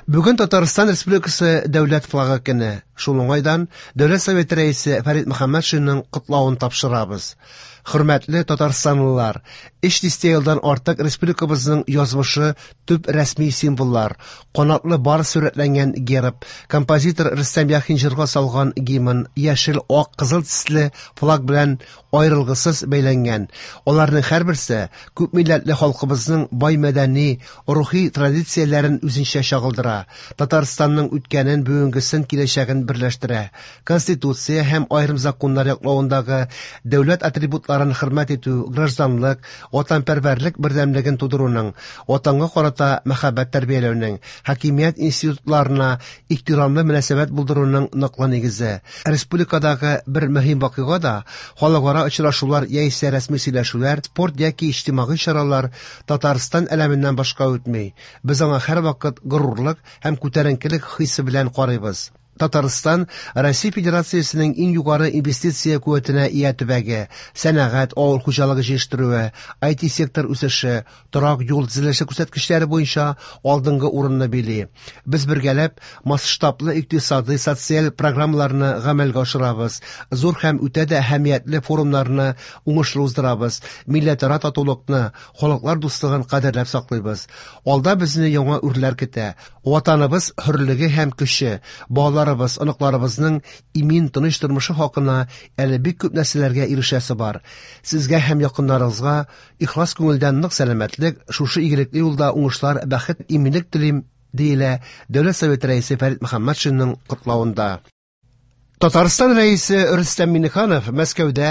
Бүген Татарстан Республикасы Дәүләт флагы көне. Шул уңайдан Дәүләт Советы рәисе Фәрит Мөхәммәтшинның котлавын тапшырабыз. Хөрмәтле татарстанлылар, өч дистә елдан артык республикабызның язмышы төп рәсми символлар, канатлы барс сурәтләнгән герб, композитор Рөстәм Яхин җырга салган гимн, яшел, ак, кызыл төсле флаг белән аерылгысыз бәйләнгән. Аларның һәрберсе күпмилләтле халкыбызның бай мәдәни, рухи традицияләрен үзенчә чагылдыра. Татарстанның үткәнен, бүгенгесен, киләчәген берләштерә. Конституция һәм аерым законнар яклавындагы дәүләт атрибутларын хөрмәт итү, гражданлык, ватанпәрвәрлек бердәмлеген тудыруның, ватанга карата мәхәббәт тәрбияләүнең, хакимият институтларына ихтирамлы мөнәсәбәт булдыруның ныклы нигезе. Республикадагы бер мөһим вакыйга да халыкара очрашулар яисә рәсми сөйләшүләр, спорт яки иҗтимагый чаралар Татарстан әләменнән башка үтми. Без аңа һәрвакыт горурлык һәм күтәренкелек хисе белән карыйбыз. Татарстан Россия Федерациясенең иң югары инвестиция куәтенә ия төбәге. Сәнәгать, авыл хуҗалыгы җитештерүе, IT-сектор үсеше, торак юл төзелеше күрсәткечләре буенча алдынгы урынны били. Без бергәләп масштаблы икътисадый, социаль программаларны гамәлгә ашырабыз, зур һәм үтә дә әһәмиятле форумнарны уңышлы уздырабыз, милләтара татулыкны, халыклар дуслыгын кадерләп саклыйбыз. Алда безне яңа үрләр көтә. Ватаныбыз хөрлеге һәм көче, балаларыбыз, оныкларыбызның имин, тыныч тормышы хакына әле бик күп нәрсәләргә ирешәсе бар. Сезгә һәм якыннарыгызга ихлас күңелдән нык сәламәтлек, шушы игелекле юлда уңышлар, бәхет, иминлек телим, диелә Дәүләт Советы рәисе Фәрит Мөхәммәтшинның котлавында. Татарстан Рәисе Рөстәм Миңнеханов Мәскәүдә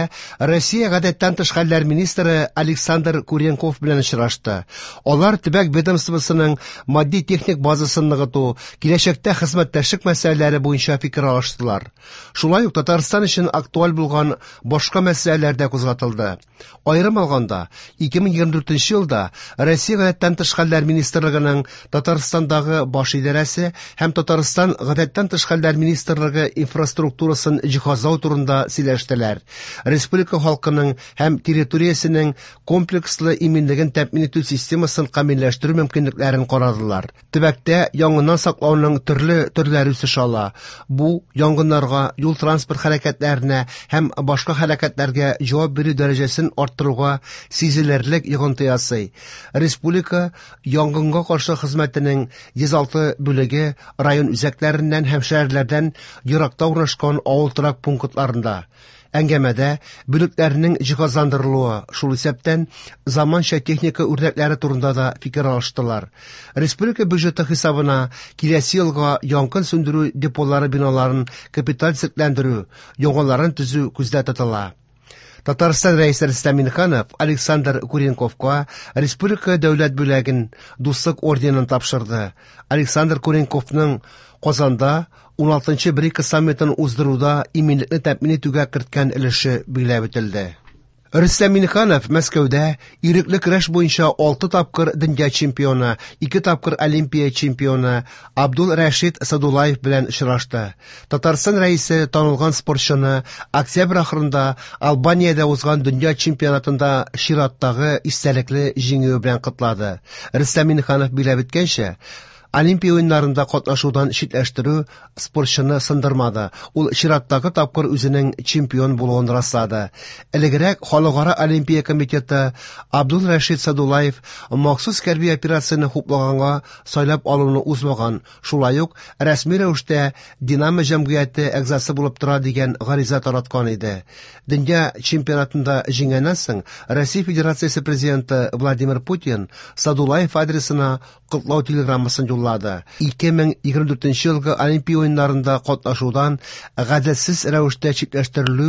Россия гадәттән тыш хәлләр министры Александр Куренков белән очрашты. Алар төбәк ведомствосының матди-техник базасын ныгыту, киләчәктә хезмәттәшлек мәсьәләләре буенча фикер алыштылар. Шулай ук Татарстан өчен актуаль булган башка мәсьәләләр дә кузгатылды. Аерым алганда, 2024 елда Россия гадәттән тыш хәлләр министрлыгының Татарстандагы баш идарәсе һәм Татарстан гадәттән тыш хәлләр министрлыгы инфраструктурасын җиһазлау турында сөйләштеләр. Республика халкының һәм территориясенең комплекслы иминлеген тәэмин итү системасын камилләштерү мөмкинлекләрен карадылар. Төбәктә янгыннан саклауның төрле төрләре үсеш ала. Бу янгыннарга, юл-транспорт хәрәкәтләренә һәм башка хәрәкәтләргә җавап бирү дәрәҗәсен арттыруга сизелерлек йогынты ясый. Республика янгынга каршы хезмәтенең 106 бүлеге район үзәкләреннән һәм шәһәрләрдән еракта урнашкан авыл торак пунктларында. Әңгәмәдә бүлекләрнең җиһазландырылуы, шул исәптән заманча техника үрнәкләре турында да фикер алыштылар. Республика бюджеты хисабына киләсе елга янгын сүндерү деполары биналарын капиталь төзекләндерү, яңаларын төзү күздә тотыла. Татарстан Рәисе Рөстәм Миңнеханов Александр Куренковка республика дәүләт бүләген Дуслык орденын тапшырды. Александр Куренковның Казанда 16-нчы БРИКС саммитын уздыруда иминлекне тәэмин итүгә керткән өлеше билгеләп үтелде. Рөстәм Миңнеханов Мәскәүдә ирекле көрәш буенча 6 тапкыр дөнья чемпионы, 2 тапкыр Олимпия чемпионы Абдул Рәшид Садулаев белән очрашты. Татарстан рәисе танылган спортчыны октябрь ахырында Албаниядә узган дөнья чемпионатында чираттагы истәлекле җиңүе белән котлады. Рөстәм Миңнеханов билгеләп үткәнчә, Олимпия уеннарында катнашудан читләштерү спортчыны сындырмады. Ул чираттагы тапкыр үзенең чемпион булуын раслады. Элегрәк Халыкара Олимпия комитеты Абдул Рәшид Садулаев махсус хәрби операцияне хуплаганга сайлап алуны узмаган, шулай ук рәсми рәвештә Динамо җәмгыяте әгъзасы булып тора дигән гариза тараткан иде. Дөнья чемпионатында җиңгәннән соң Россия Федерациясе президенты Владимир Путин Садулаев адресына котлау телеграммасын юллады. 2024 елгы Олимпия уеннарында катнашудан гаделсез рәвештә читләштерелү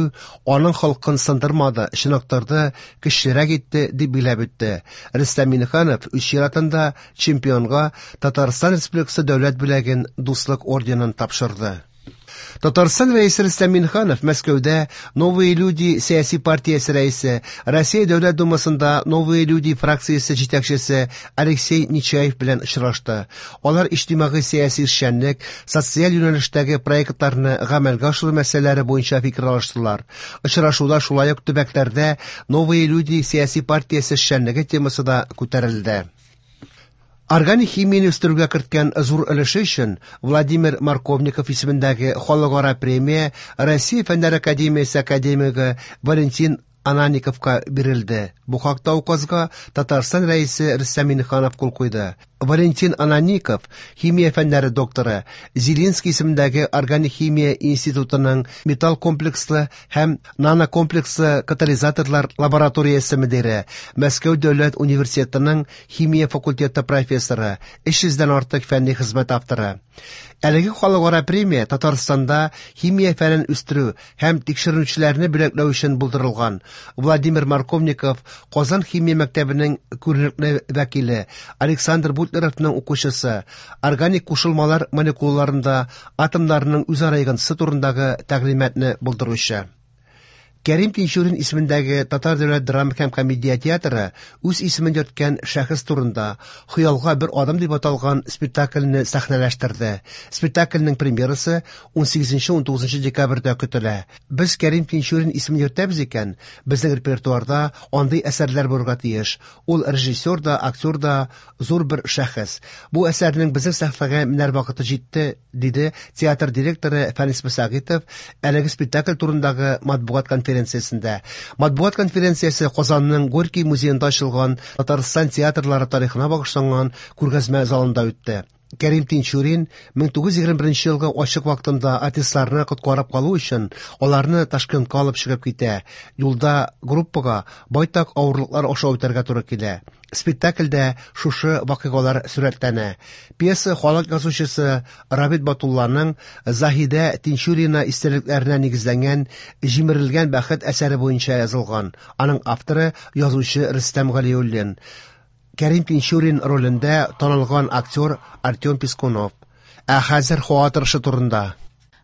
аның холкын сындырмады, чыныктырды, көчлерәк итте, дип билгеләп үтте. Рөстәм Миңнеханов үз чиратында чемпионга Татарстан Республикасы дәүләт бүләген Дуслык орденын тапшырды. Татарстан Рәисе Рөстәм Миңнеханов Мәскәүдә Новые люди сәяси партиясе рәисе, Россия Дәүләт Думасында Новые люди фракциясе җитәкчесе Алексей Нечаев белән очрашты. Алар иҗтимагый сәяси эшчәнлек, социаль юнәлештәге проектларны гамәлгә ашыру мәсьәләләре буенча фикер алыштылар. Очрашуда шулай ук төбәкләрдә Новые люди сәяси партиясе эшчәнлеге темасы да күтәрелде. Органик химияне үстерүгә керткән зур өлеше өчен Владимир Марковников исемендәге халыкара премия Россия Фәннәр академиясе академигы Валентин Ананиковка бирелде. Бу хакта указга Татарстан Рәисе Рөстәм Миңнеханов кул куйды. Валентин Анаников, химия фәннәре докторы, Зелинский исемендәге органик химия институтының металл комплекслы һәм нанокомплекслы катализаторлар лабораториясе мөдире, Мәскәү дәүләт университетының химия факультеты профессоры, 300 дән артык фәнни хезмәт авторы. Әлеге халыкара премия Татарстанда химия фәнен үстерү һәм тикшеренүчеләрне бүләкләү өчен булдырылган. Владимир Марковников Казан химия мәктәбенең күренекле вәкиле, Александр Бутлеровның укучысы, органик кушылмалар молекулаларында атомнарның үзара йогынтысы турындагы тәгълиматны булдыручы. Кәрим Тинчурин исемендәге Татар дәүләт драма һәм комедия театры үз исемен йөрткән шәхес турында Хыялга бер адым дип аталган спектакльне сәхнәләштерде. Спектакльнең премьерасы 18-19 декабрьдә көтелә. Без Кәрим Тинчурин исемен йөртәбез икән, безнең репертуарда андый әсәрләр булырга тиеш. Ул режиссер да, актер да, зур бер шәхес. Бу әсәрнең безнең сәхнәгә менәр вакыты җитте, диде театр директоры Фәнис Мөсәгыйтов әлеге спектакль турындагы матбугат конференциясендә. Матбугат конференциясе Казанның Горький музеенда ачылган Татарстан театрлары тарихына багышланган күргәзмә залында үтте. Кәрим Тинчурин 1921 елгы ачык вакытында артистларны коткарып калу өчен аларны Ташкентка алып чыгып китә. Юлда группага байтак авырлыклар аша үтәргә туры килә. Спектакльдә шушы вакыйгалар сурәтләнә. Пьеса халык язучысы Рабит Батулланың Заһидә Тинчурина истәлекләренә нигезләнгән Җимерелгән бәхет әсәре буенча язылган. Аның авторы язучы Рөстәм Галиуллин. Кәрим Тинчурин ролендә танылган актер Артем Пискунов. Ә хәзер һава торышы турында.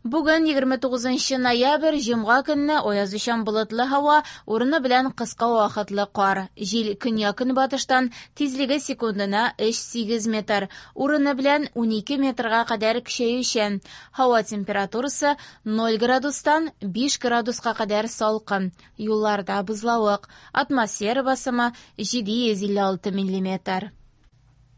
Бүген 29 ноябрь, җомга көнне аязучан болытлы һава, урыны белән кыска вакытлы кар. Җил көньяк-көнбатыштан, тизлеге секундына 3-8 метр, урыны белән 12 метрга кадәр көчәючән. Һава температурасы 0 градустан 5 градуска кадәр салкын. Юлларда бозлавык. Атмосфера басымы 756 миллиметр.